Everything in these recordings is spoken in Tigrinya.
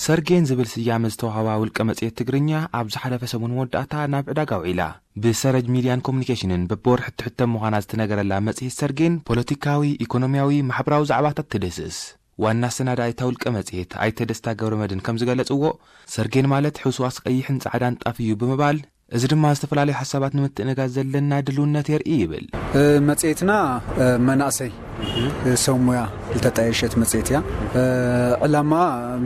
ሰርጌን ዝብል ስያመ ዝተዋህባ ውልቀ መጽሔት ትግርኛ፣ ኣብ ዝሓለፈ ሰሙን መወዳእታ ናብ ዕዳጋ ውዒላ። ብሰረጅ ሚድያን ኮሙኒኬሽንን በብወርሒ እትሕተም ምዃና ዝተነገረላ መጽሔት ሰርጌን፣ ፖለቲካዊ፣ ኢኮኖሚያዊ፣ ማሕበራዊ ዛዕባታት ትድህስስ። ዋና ኣሰናዳኢታ ውልቀ መጽሔት ኣይተ ደስታ ገብረመድህን ከም ዝገለጽዎ፣ ሰርጌን ማለት ሕውስዋስ ቀይሕን ጻዕዳን ጣፍ እዩ ብምባል፣ እዚ ድማ ዝተፈላለዩ ሓሳባት ንምትእንጋዝ ዘለና ድልውነት የርኢ ይብል። እ፣ መጽሔትና፣ እ፣ መናእሰይ፣ እ፣ ሰብ ሙያ ዝተጣየሸት መጽሔት እያ። እ፣ ዕላማ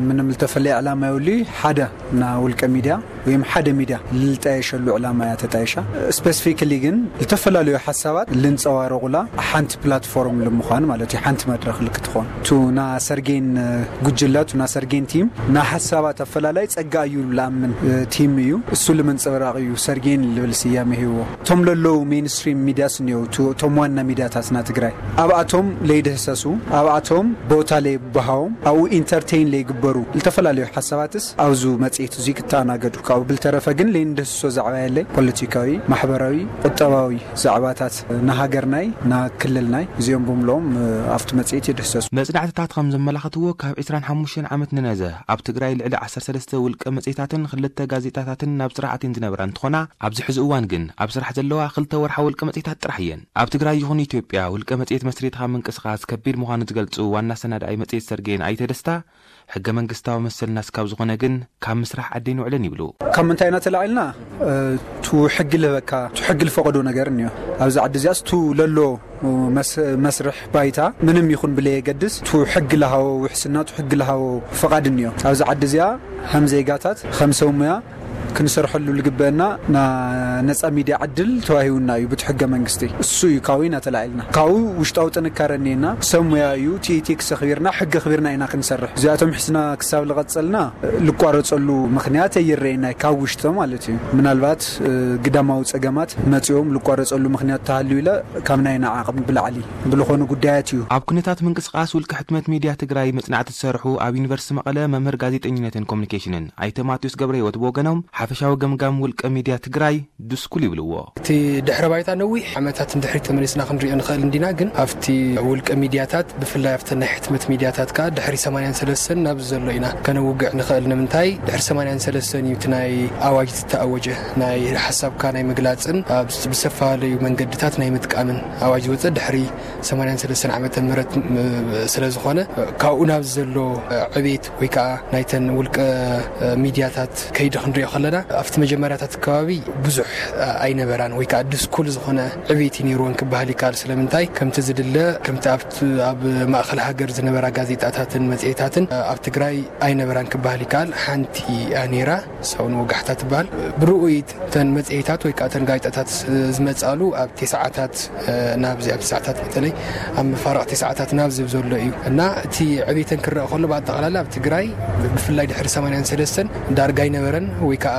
ምንም ዝተፈለየ ዕላማ የብሉ። ሓደ ና ውልቀ ሚድያ ወይም ሓደ ሚድያ ልጣየሸሉ ዕላማ እያ ተጣየሻ። ስፔሲፊክሊ ግን ዝተፈላለዩ ሓሳባት ልንጸባረቑላ ሓንቲ ፕላትፎርም ልምዃን ማለት እዩ፣ ሓንቲ መድረኽ ልክትኾን። ቱ ና ሰርጌን፣ እ፣ ጉጅለ፣ ቱ ና ሰርጌን ቲም ና ሓሳባት ኣፈላላይ ጸጋ እዩ ልኣምን፣ እ፣ ቲም እዩ። እሱ ልምንጽብራቕ እዩ ሰርጌን ልብል ስያመ ሂብዎ። እቶም ለለዉ ሜንስትሪም ሚድያስ እኒኦ፣ ቱ-፣ እቶም ዋና ሚድያታትና ትግራይ ኣብኣቶም ለይድህሰሱ፣ ኣብኣቶም ቦታ ለይበሃዎም፣ ኣብኡ ኢንተርቴይን ለይግበሩ፣ ልተፈላለዩ ሓሳባትስ ኣብዚ መጽሔት እዙይ ክተኣናገዱ። ካብኡ ብልተረፈ ግን ለይንድህስሶ ዛዕባ የለይ። ፖለቲካዊ፣ ማሕበራዊ፣ ቁጠባዊ ዛዕባታት ንሃገርናይ፣ ንክልልናይ እዚኦም ብምልኦም፣ እ፣ ኣብቲ መጽሔት ይድህሰሱ። መጽናዕትታት ከም ዘመላኽትዎ፣ ካብ ዕስራን ሓሙሽተን ዓመት ንነዘ ኣብ ትግራይ ልዕሊ ዓሰርተ ሰለስተ ውልቀ መጽሔታትን ክልተ ጋዜጣታትን ናብ ስራሕ ኣትየን ዝነበራ እንትኾና፣ ኣብዚ ሕዚ እዋን ግን ኣብ ስራሕ ዘለዋ ክልተ ወርሓ ውልቀ መጽሔታት ጥራሕ እየን። ኣብ ትግራይ ይኹን ኢትዮጵያ ውልቀ መጽሔት መስሪትኻ ምንቅስቓስ ከቢድ ምዃኑ ዝገልጹ ዋና ኣሰናዳኢ መጽሔት ሰርጌን ኣይተ ደስታ፣ ሕገ መንግስታዊ መሰልና ስካብ ዝኾነ ግን ካብ ምስራሕ ዓዲ ኣይንውዕልን ይብሉ። ካብ ምንታይ ኢና ተላዒልና? እ፣ ቱ ሕጊ ልህበካ፣ ቱ ሕጊ ልፈቐዶ ነገር እኒኦ። ኣብዚ ዓዲ እዚኣስ ቱ ለሎ መስ-፣ መስርሕ ባይታ ምንም ይኹን ብለየገድስ፣ ቱ ሕጊ ልሃቦ ውሕስና፣ ቱ ሕጊ ልሃቦ ፍቓድ እኒኦ። ኣብዚ ዓዲ እዚኣ ከም ዜጋታት፣ ከም ሰብ ሙያ ክንሰርሐሉ ልግበአና ና ነጻ ሚድያ ዕድል ተዋሂቡና እዩ ብቲ ሕገ መንግስቲ። እሱ እዩ ካብኡ ኢና ተላዒልና። ካብኡ ውሽጣዊ ጥንካረ እኒኤና፣ ሰብ ሙያ እዩ፣ ቲ ኢቲ ክሰኽቢርና፣ ሕጊ ኣኽቢርና ኢና ክንሰርሕ። እዚኣቶም ሒዝና ክሳብ ልቐጸልና ልቋረጸሉ ምኽንያት ኣይረአየና፣ ካብ ውሽጢ ማለት እዩ። ምናልባት፣ እ፣ ግዳማዊ ጸገማት መጺኦም ልቋረጸሉ ምኽንያት ተሃልዩ ኢለ ካብ ናይና ዓቕሚ ብላዕሊ ብልኾኑ ጉዳያት እዩ። ኣብ ኩነታት ምንቅስቓስ ውልቀ ሕትመት ሚድያ ትግራይ መጽናዕቲ ዝሰርሑ ኣብ ዩኒቨርሲቲ መቐለ መምህር ጋዜጠኝነትን ኮሙኒኬሽንን ኣይተ ማቴዎስ ገብረህይወት ብወገኖም፣ ሓፈሻዊ ገምጋም ውልቀ ሚድያ ትግራይ ድስኩል ይብልዎ። እቲ ድሕረ ባይታ ነዊሕ ዓመታት ንድሕሪት ተመሊስና ክንሪኦ ንኽእል እንዲና፣ ግን ኣብቲ ውልቀ ሚድያታት፣ ብፍላይ ኣብተን ናይ ሕትመት ሚድያታት ከኣ ድሕሪ ሰማንያን ሰለስተን ናብዚ ዘሎ ኢና ከነውግዕ ንኽእል። ንምንታይ? ድሕሪ ሰማንያን ሰለስተን እዩ እቲ ናይ ኣዋጅ ዝተኣወጀ፣ ናይ ሓሳብካ ናይ ምግላጽን ኣብ ብዝተፈላለዩ መንገድታት ናይ ምጥቃምን ኣዋጅ ዝወጸ ድሕሪ ሰማንያን ሰለስተን ዓመተ ምህረት፣ ም-፣ ስለ ዝኾነ፣ ካብኡ ናብ ዘሎ ዕቤት ወይ ከዓ ናይተን ውልቀ ሚድያታት ከይዲ ክንሪኦ ከለና፣ ኣብቲ መጀመርያታት ከባቢ ብዙሕ ኣይነበራን ወይ ከዓ ድስኩል ዝኾነ ዕቤት እዩ ነይርወን ክበሃል ይከኣል። ስለምንታይ? ከምቲ ዝድለ፣ ከምቲ ኣብቲ ኣብ ማእኸል ሃገር ዝነበራ ጋዜጣታትን መጽሔታትን ኣብ ትግራይ ኣይነበራን ክበሃል ይከኣል። ሓንቲ እያ ነይራ፣ ሳውን ወጋሕታ ትበሃል። ብርኡይት እተን መጽሔታት ወይ ከዓ እተን ጋዜጣታት ዝመጻሉ ኣብ ተስዓታት፣ እ፣ ናብዚ ኣብ ተስዓታት በተለይ ኣብ መፋርቕ ተስዓታት ናብዚ ዘሎ እዩ። እና እቲ ዕቤተን ክረአ ከሎ ብኣጠቓላላ ኣብ ትግራይ ብፍላይ ድሕሪ ሰማንያን ሰለስተን ዳርጋ ኣይነበረን ወይ ከዓ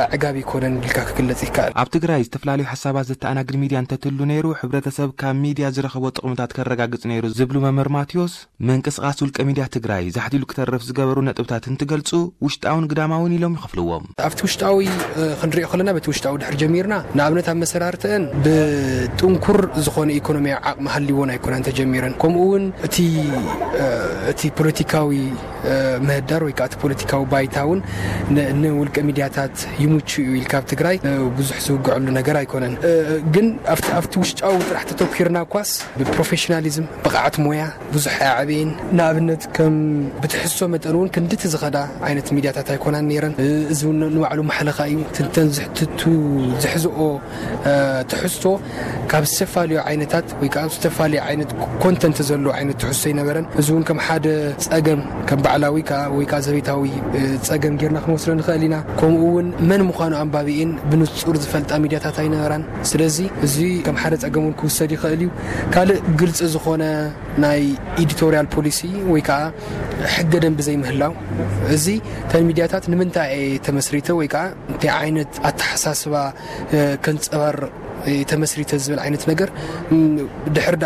ኣዕጋቢ ኣይኮነን ኢልካ ክግለጽ ይከኣል። ኣብ ትግራይ ዝተፈላለዩ ሓሳባት ዘተኣናግድ ሚድያ እንተትህሉ ነይሩ፣ ሕብረተሰብ ካብ ሚድያ ዝረኸቦ ጥቕምታት ከረጋግጽ ነይሩ ዝብሉ መምህር ማቴዎስ፣ ምንቅስቓስ ውልቀ ሚድያ ትግራይ ዛሕቲሉ ክተርፍ ዝገበሩ ነጥብታት እንትገልጹ፣ ውሽጣውን ግዳማውን ኢሎም ይኸፍልዎም። ኣብቲ ውሽጣዊ፣ እ፣ ክንሪኦ ከለና፣ በቲ ውሽጣዊ ድሕር ጀሚርና፣ ንኣብነት ኣብ መሰራርተን ብጥንኩር ዝኾነ ኢኮኖሚያዊ ዓቕሚ ሃልይዎን ኣይኮነን ተጀሚረን። ከምኡ እውን እቲ፣ እ፣ እቲ ፖለቲካዊ፣ እ፣ ምህዳር ወይ ከዓ እቲ ፖለቲካዊ ባይታ እውን ን-፣ ንውልቀ ሚድያታት ይምቹ እዩ ኢልካ ኣብ ትግራይ፣ እ፣ ብዙሕ ዝውግዐሉ ነገር ኣይኮነን። እ፣ ግን ኣብቲ፣ ኣብቲ ውሽጣዊ ጥራሕ ተተኪርና እኳስ ብፕሮፌሽናሊዝም፣ ብቕዓት ሞያ፣ ብዙሕ ኣዕብየን። ንኣብነት፣ ከም ብትሕዝቶ መጠን እውን ክንድቲ ዝኸዳ ዓይነት ሚድያታት ኣይኮናን ነይረን። እ፣ እዚ እውን ንባዕሉ ማሕለኻ እዩ። ትንተን ዝሕትቱ ዝሕዝኦ፣ እ፣ ትሕዝቶ ካብ ዝተፈላለዩ ዓይነታት ወይ ከዓ ዝተፈላለዩ ዓይነት ኮንተንት ዘለዎ ዓይነት ትሕዝቶ ኣይነበረን። እዚ እውን ከም ሓደ ጸገም፣ ከም ባዕላዊ ከዓ ወይ ከዓ ዘቤታዊ፣ እ፣ ጸገም ጌርና ክንወስዶ ንኽእል ኢና። ከምኡ እውን መን ምዃኑ ኣንባቢኤን ብንጹር ዝፈልጣ ሚድያታት ኣይነበራን። ስለዚ እዚ ከም ሓደ ጸገም እውን ክውሰድ ይኽእል እዩ። ካልእ ግልጺ ዝኾነ ናይ ኤዲቶሪያል ፖሊሲ ወይ ከዓ ሕገ ደንቢ ዘይምህላው፣ እዚ እተን ሚድያታት ንምንታይ እየ ተመስሪተ ወይ ከዓ እንታይ ዓይነት ኣተሓሳስባ፣ እ፣ ከንጸባርቕ ተመስሪተ ዝብል ዓይነት ነገር ድሕር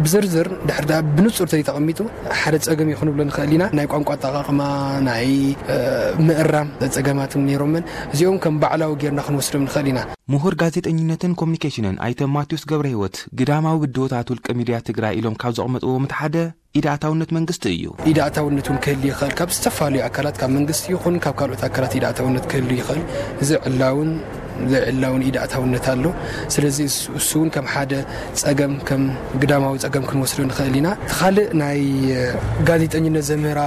ብዝርዝር ድሕር ብንፁር ተዘይተቐሚጡ ሓደ ፀገም ይኹን ብሎ ንኽእል ኢና። ናይ ቋንቋ ኣጠቃቕማ፣ ናይ ምእራም ፀገማትን ነይሮምን እዚኦም ከም ባዕላዊ ጌርና ክንወስዶም ንኽእል ኢና። ምሁር ጋዜጠኝነትን ኮሚኒኬሽንን ኣይተ ማቴዎስ ገብረ ህይወት ግዳማዊ ብድሆታት ውልቀ ሚድያ ትግራይ ኢሎም ካብ ዘቕመጥዎም እቲ ሓደ ኢድ ኣእታውነት መንግስቲ እዩ። ኢድ ኣእታውነት እውን ክህል ይኽእል። ካብ ዝተፈላለዩ ኣካላት፣ ካብ መንግስቲ ይኹን ካብ ካልኦት ኣካላት ኢድ ኣእታውነት ክህል ይኽእል። እዚ ዕላውን ዘይዕላውን ኢድ ኣእታውነት ኣሎ። ስለዚ እሱ እውን ከም ሓደ ፀገም፣ ከም ግዳማዊ ፀገም ክንወስዶ ንኽእል ኢና። እቲ ካልእ ናይ ጋዜጠኝነት ዘምህራ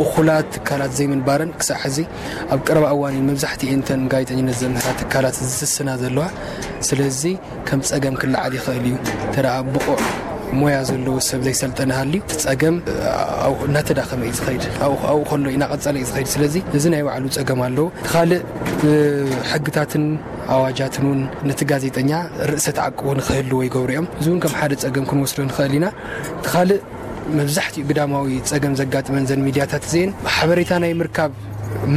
እኹላት ትካላት ዘይምንባረን ክሳዕ ሕዚ ኣብ ቀረባ እዋን መብዛሕትኤን እተን ጋዜጠኝነት ዘምህራ ትካላት ዝስስና ዘለዋ። ስለዚ ከም ፀገም ክለዓል ይኽእል እዩ። እንተ ብቑዕ ሞያ ዘለዎ ሰብ ዘይሰልጠነ ሃልዩ እቲ ፀገም እናተዳኸመ እዩ ዝኸይድ። ኣብኡ ከሎ እናቐፀለ እዩ ዝኸይድ። ስለዚ እዚ ናይ ባዕሉ ፀገም ኣለዎ። ካልእ ሕግታትን ኣዋጃትን እውን ነቲ ጋዜጠኛ ርእሰ ተዓቅቦ ንክህልዎ ይገብሩ እዮም። እዚ እውን ከም ሓደ ፀገም ክንወስዶ ንኽእል ኢና። እቲ ካልእ መብዛሕትኡ ግዳማዊ ፀገም ዘጋጥመን ዘን ሚድያታት እዚአን ሓበሬታ ናይ ምርካብ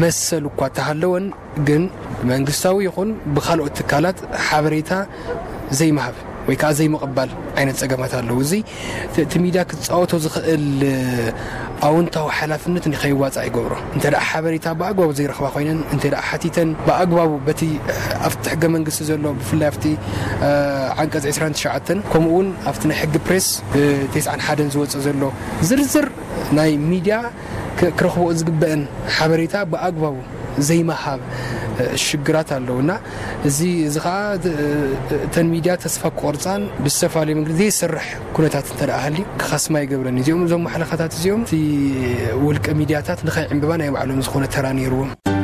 መሰል እኳ ተሃለወን ግን ብመንግስታዊ ይኹን ብካልኦት ትካላት ሓበሬታ ዘይምሃብ ወይ ከዓ ዘይምቕባል ዓይነት ፀገማት ኣለዉ። እዚ እቲ ሚድያ ክፃወቶ ዝኽእል ኣውንታዊ ሓላፍነት ንከይዋፃእ ይገብሮ። እንተ ሓበሬታ ብኣግባቡ ዘይረኽባ ኮይነን፣ እንተ ሓቲተን ብኣግባቡ በቲ ኣብቲ ሕገ መንግስቲ ዘሎ ብፍላይ ኣብቲ ዓንቀፅ ዕስራን ትሽዓተን ከምኡ እውን ኣብቲ ናይ ሕጊ ፕሬስ ተስዓን ሓደን ዝወፅእ ዘሎ ዝርዝር ናይ ሚድያ ክረኽቦ ዝግበአን ሓበሬታ ብኣግባቡ ዘይመሃብ ሽግራት ኣለዉ እና እዚ እዚ ከዓ እተን ሚድያ ተስፋ ክቆርፃን ብዝተፈላለዩ መንገዲ ዘይሰርሕ ኩነታት እንተ ሃልዩ ክኸስማ ይገብረን። እዚኦም እዞም ማሕለኻታት እዚኦም እቲ ውልቀ ሚድያታት ንኸይዕምብባ ናይ ባዕሎም ዝኾነ ተራ ነይርዎም።